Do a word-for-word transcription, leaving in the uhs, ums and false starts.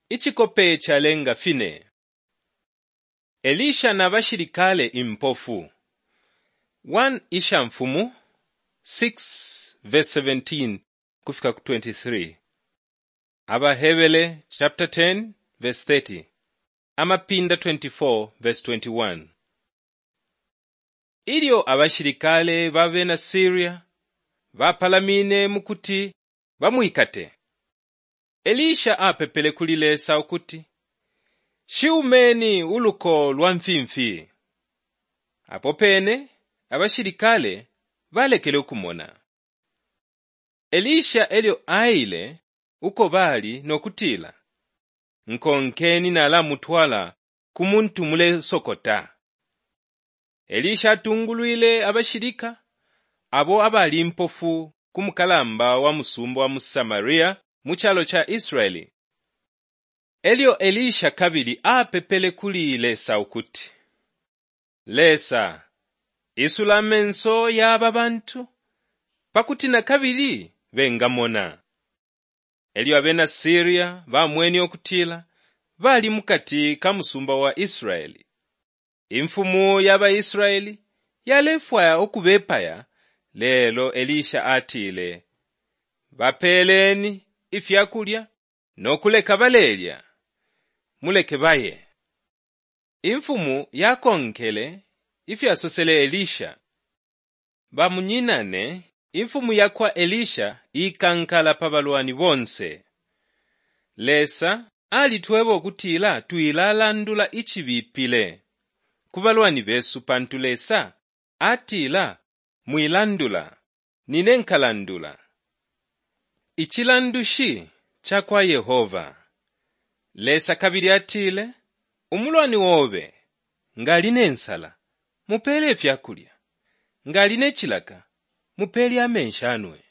Icikope calenga fine. Elisha na bashilikale impofu. one Ishamfumu six verse seventeen kufika ku twenty-three. AbaHebere chapter ten verse thirty. Amapinda twenty-four verse twenty-one. Ilyo abashilikale ba bena Syria bapalamine mu kuti bamwikate, Elisha apepele kuli Lesa ukuti, Shi umeni uluko lwa mfimfi. Apo pene abashilikale balekele ukumona. Elisha elyo aile uko bali no kutila, Nkonkeni nalamutwala ku muntu mulesokota. Elisha atungulwile abashilika abo abali impofu ku mukalamba wa musumba wa mu Samaria mu calo ca Israeli. Elyo Elisha kabili apepele kuli Lesa ukuti, Lesa, isula amenso ya aba bantu pakuti na kabili bengamona. Elyo abena Syria bamwene ukutila bali mukati ka musumba wa Israeli. Imfumu ya ba Israeli yalefwaya ukubepaya, lelo Elisha atile, Bapeeleni ifya kulya no kuleka balelya, muleke baye. Imfumu yakonkele ifyasosele Elisha. Bamunyinane, imfumu ya kwa Elisha ikankala pa balwani bonse. Lesa alitweba ukutila twilalandula icibipile ku balwani besu pantu Lesa atila mwilandula, nine nkalandula. Icilandushi ca kwa Yehova. Lesa kabili atile, umulwani obe nga ali ne nsala, mupeele ifya kulya, nga ali ne cilaka, mupeele amenshi anwe.